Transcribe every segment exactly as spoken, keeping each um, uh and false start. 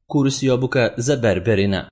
Kurs i obuka za berberina.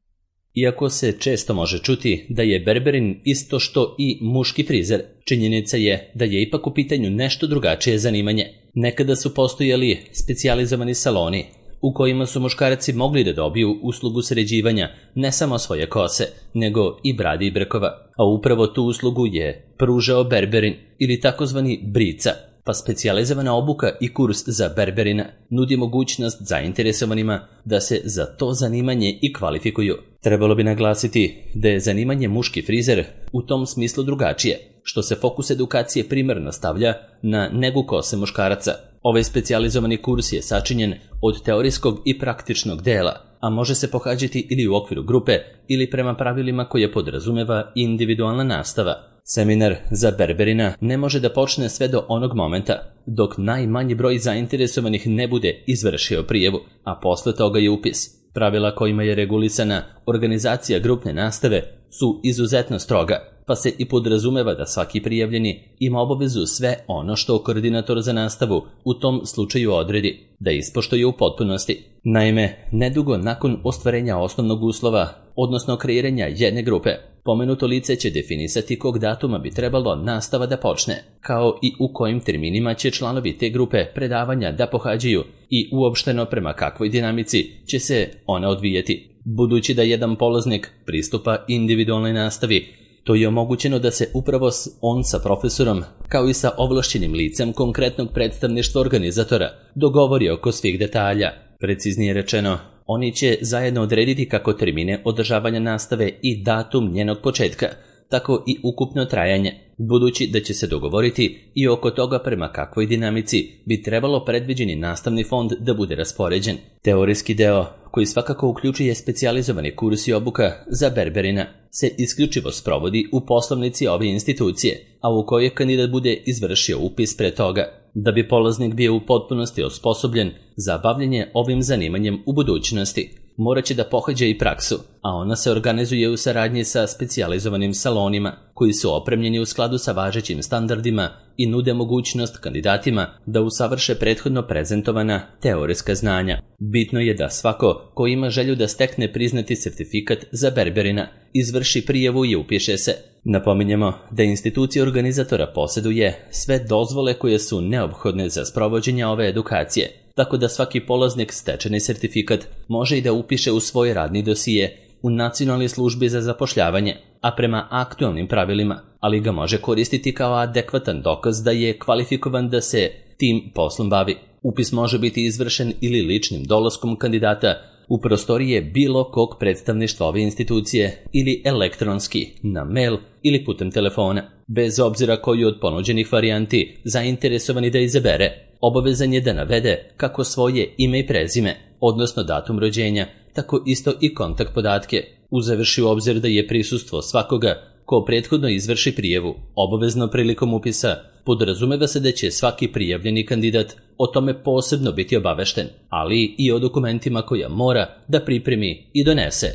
Iako se često može čuti da je berberin isto što i muški frizer, činjenica je da je ipak u pitanju nešto drugačije zanimanje. Nekada su postojali specijalizovani saloni u kojima su muškarci mogli da dobiju uslugu sređivanja ne samo svoje kose, nego i bradi i brkova, a upravo tu uslugu je pružao berberin ili takozvani brica, pa specijalizovana obuka i kurs za berberina nudi mogućnost zainteresovanima da se za to zanimanje i kvalifikuju. Trebalo bi naglasiti da je zanimanje muški frizer u tom smislu drugačije, što se fokus edukacije primarno stavlja na negu kose muškaraca. Ovaj specijalizovani kurs je sačinjen od teorijskog i praktičnog dela, a može se pohađati ili u okviru grupe ili prema pravilima koje podrazumeva individualna nastava. Seminar za berberina ne može da počne sve do onog momenta dok najmanji broj zainteresovanih ne bude izvršio prijavu, a posle toga je upis. Pravila kojima je regulisana organizacija grupne nastave su izuzetno stroga, pa se i podrazumeva da svaki prijavljeni ima obavezu sve ono što koordinator za nastavu u tom slučaju odredi, da ispoštuje u potpunosti. Naime, nedugo nakon ostvarenja osnovnog uslova, odnosno kreiranja jedne grupe, pomenuto lice će definisati kog datuma bi trebalo nastava da počne, kao i u kojim terminima će članovi te grupe predavanja da pohađaju i uopšteno prema kakvoj dinamici će se ona odvijati. Budući da jedan polaznik pristupa individualnoj nastavi, to je omogućeno da se upravo on sa profesorom, kao i sa ovlašćenim licem konkretnog predstavništva organizatora, dogovori oko svih detalja. Preciznije rečeno, oni će zajedno odrediti kako termine održavanja nastave i datum njenog početka, tako i ukupno trajanje, budući da će se dogovoriti i oko toga prema kakvoj dinamici bi trebalo predviđeni nastavni fond da bude raspoređen. Teorijski deo, koji svakako uključuje specijalizovani kurs i obuka za berberina, se isključivo sprovodi u poslovnici ove institucije, a u kojoj kandidat bude izvršio upis pre toga, da bi polaznik bio u potpunosti osposobljen za bavljenje ovim zanimanjem u budućnosti. Morat će da pohađa i praksu, a ona se organizuje u saradnji sa specijalizovanim salonima koji su opremljeni u skladu sa važećim standardima i nude mogućnost kandidatima da usavrše prethodno prezentovana teorijska znanja. Bitno je da svako ko ima želju da stekne priznati sertifikat za berberina izvrši prijavu i upiše se. Napominjemo da institucija organizatora posjeduje sve dozvole koje su neophodne za sprovođenje ove edukacije, tako da svaki polaznik stečeni sertifikat može i da upiše u svoj radni dosije u Nacionalnoj službi za zapošljavanje, a prema aktualnim pravilima, ali ga može koristiti kao adekvatan dokaz da je kvalifikovan da se tim poslom bavi. Upis može biti izvršen ili ličnim dolaskom kandidata u prostorije bilo kog predstavništva ove institucije ili elektronski, na mail ili putem telefona. Bez obzira koju od ponuđenih varijanti zainteresovani da izabere, obavezan je da navede kako svoje ime i prezime, odnosno datum rođenja, tako isto i kontakt podatke, uzevši u obzir da je prisustvo svakoga ko prethodno izvrši prijavu obavezno prilikom upisa. Podrazumeva se da će svaki prijavljeni kandidat o tome posebno biti obavešten, ali i o dokumentima koja mora da pripremi i donese.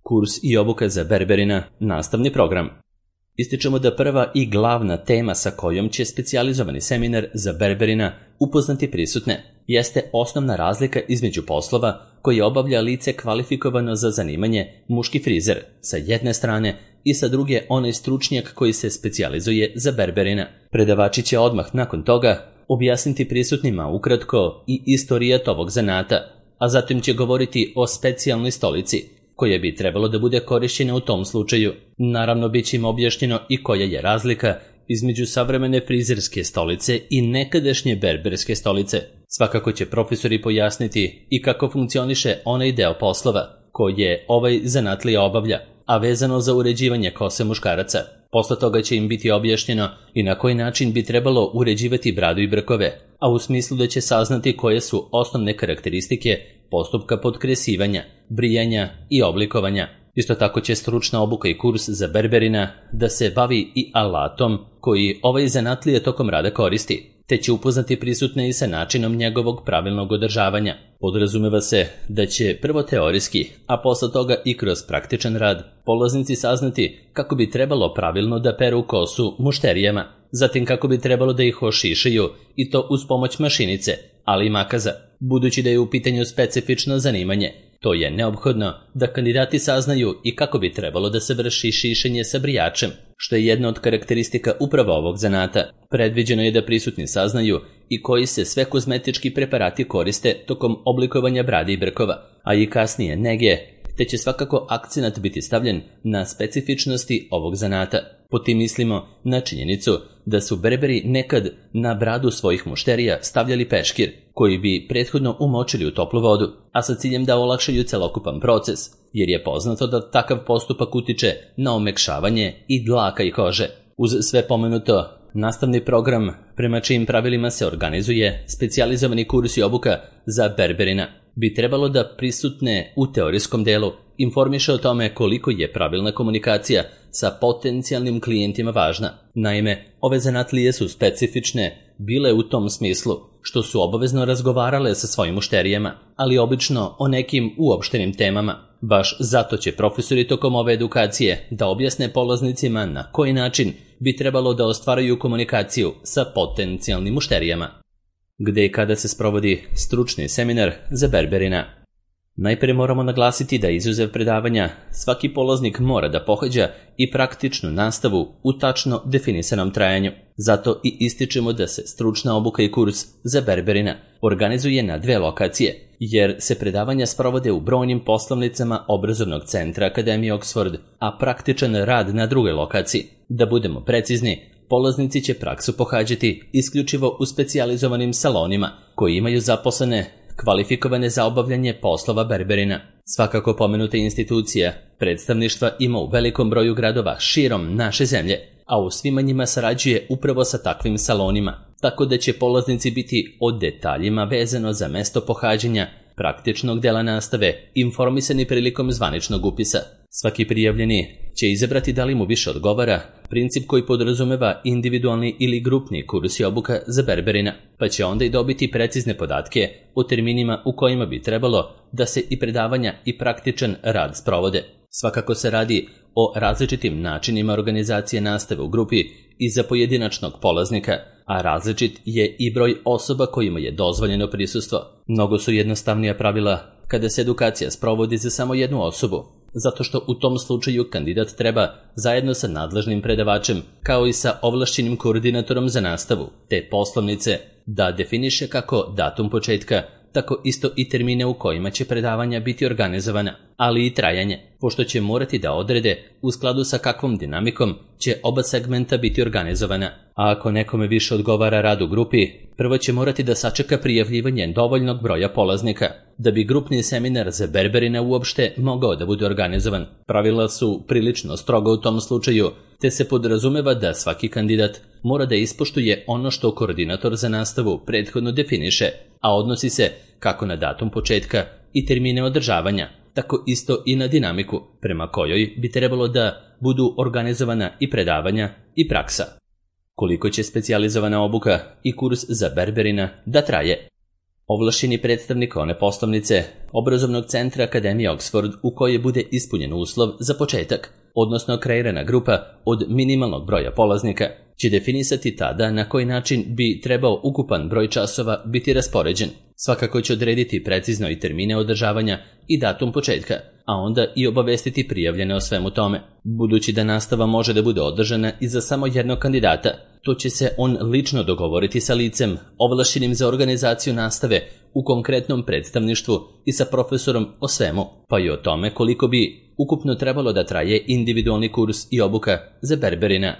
Kurs i obuka za berberina, nastavni program. Ističemo da prva i glavna tema sa kojom će specijalizovani seminar za berberina upoznati prisutne jeste osnovna razlika između poslova koje obavlja lice kvalifikovano za zanimanje muški frizer sa jedne strane i sa druge onaj stručnjak koji se specijalizuje za berberina. Predavači će odmah nakon toga objasniti prisutnima ukratko i istorijat ovog zanata, a zatim će govoriti o specijalnoj stolici koja bi trebalo da bude korišćena u tom slučaju. Naravno, bit će im objašnjeno i koja je razlika između savremene frizerske stolice i nekadašnje berberske stolice. Svakako će profesori pojasniti i kako funkcioniše onaj deo poslova koje ovaj zanatlija obavlja, a vezano za uređivanje kose muškaraca. Posle toga će im biti objašnjeno i na koji način bi trebalo uređivati bradu i brkove, a u smislu da će saznati koje su osnovne karakteristike postupka potkresivanja, brijanja i oblikovanja. Isto tako će stručna obuka i kurs za berberina da se bavi i alatom koji ovaj zanatlija tokom rada koristi, te će upoznati prisutne i sa načinom njegovog pravilnog održavanja. Podrazumeva se da će prvo teorijski, a posle toga i kroz praktičan rad, polaznici saznati kako bi trebalo pravilno da peru kosu mušterijama, zatim kako bi trebalo da ih ošišaju i to uz pomoć mašinice, ali i makaza. Budući da je u pitanju specifično zanimanje, To je neophodno da kandidati saznaju i kako bi trebalo da se vrši šišenje sa brijačem, što je jedna od karakteristika upravo ovog zanata. Predviđeno je da prisutni saznaju i koji se sve kozmetički preparati koriste tokom oblikovanja brade i brkova, a i kasnije nege, te će svakako akcenat biti stavljen na specifičnosti ovog zanata. Po tim mislimo na činjenicu da su Berberi nekad na bradu svojih mušterija stavljali peškir, koji bi prethodno umočili u toplu vodu, a sa ciljem da olakšaju celokupan proces, jer je poznato da takav postupak utiče na omekšavanje i dlaka i kože. Uz sve pomenuto, nastavni program prema čijim pravilima se organizuje specijalizovani kurs i obuka za Berberina bi trebalo da prisutne u teorijskom delu informiše o tome koliko je pravilna komunikacija sa potencijalnim klijentima važna. Naime, ove zanatlije su specifične bile u tom smislu što su obavezno razgovarale sa svojim mušterijama, ali obično o nekim uopštenim temama. Baš zato će profesori tokom ove edukacije da objasne polaznicima na koji način bi trebalo da ostvaraju komunikaciju sa potencijalnim mušterijama. Gde i kada se sprovodi stručni seminar za Berberina? Najprije moramo naglasiti da izuzev predavanja, svaki polaznik mora da pohađa i praktičnu nastavu u tačno definisanom trajanju. Zato i ističemo da se stručna obuka i kurs za Berberina organizuje na dve lokacije, jer se predavanja sprovode u brojnim poslovnicama obrazovnog centra Akademije Oxford, a praktičan rad na drugoj lokaciji. Da budemo precizni, polaznici će praksu pohađati isključivo u specijalizovanim salonima koji imaju zaposlene kvalifikovane za obavljanje poslova Berberina. Svakako pomenuta institucija predstavništva ima u velikom broju gradova širom naše zemlje, a u svima njima sarađuje upravo sa takvim salonima, tako da će polaznici biti o detaljima vezano za mesto pohađanja praktičnog dela nastave informisani prilikom zvaničnog upisa. Svaki prijavljeni će izabrati da li mu više odgovara princip koji podrazumeva individualni ili grupni kurs i obuka za Berberina, pa će onda i dobiti precizne podatke o terminima u kojima bi trebalo da se i predavanja i praktičan rad sprovode. Svakako se radi o različitim načinima organizacije nastave u grupi i za pojedinačnog polaznika, a različit je i broj osoba kojima je dozvoljeno prisustvo. Mnogo su jednostavnija pravila kada se edukacija sprovodi za samo jednu osobu, zato što u tom slučaju kandidat treba zajedno sa nadležnim predavačem, kao i sa ovlašćenim koordinatorom za nastavu, te poslovnice, da definiše kako datum početka, tako isto i termine u kojima će predavanja biti organizovana, ali i trajanje, pošto će morati da odrede u skladu sa kakvom dinamikom će oba segmenta biti organizovana. A ako nekome više odgovara rad u grupi, prvo će morati da sačeka prijavljivanje dovoljnog broja polaznika, da bi grupni seminar za Berberina uopšte mogao da bude organizovan. Pravila su prilično stroga u tom slučaju, te se podrazumeva da svaki kandidat mora da ispoštuje ono što koordinator za nastavu prethodno definiše, a odnosi se kako na datum početka i termine održavanja, tako isto i na dinamiku prema kojoj bi trebalo da budu organizovana i predavanja i praksa. Koliko će specijalizovana obuka i kurs za Berberina da traje? Ovlašćeni predstavnik one poslovnice obrazovnog centra Akademije Oxford u kojoj bude ispunjen uslov za početak, odnosno kreirana grupa od minimalnog broja polaznika, će definisati tada na koji način bi trebao ukupan broj časova biti raspoređen. Svakako će odrediti precizno i termine održavanja i datum početka, a onda i obavestiti prijavljene o svemu tome. Budući da nastava može da bude održana i za samo jednog kandidata, to će se on lično dogovoriti sa licem ovlašćenim za organizaciju nastave u konkretnom predstavništvu i sa profesorom o svemu, pa i o tome koliko bi ukupno trebalo da traje individualni kurs i obuka za Berberina.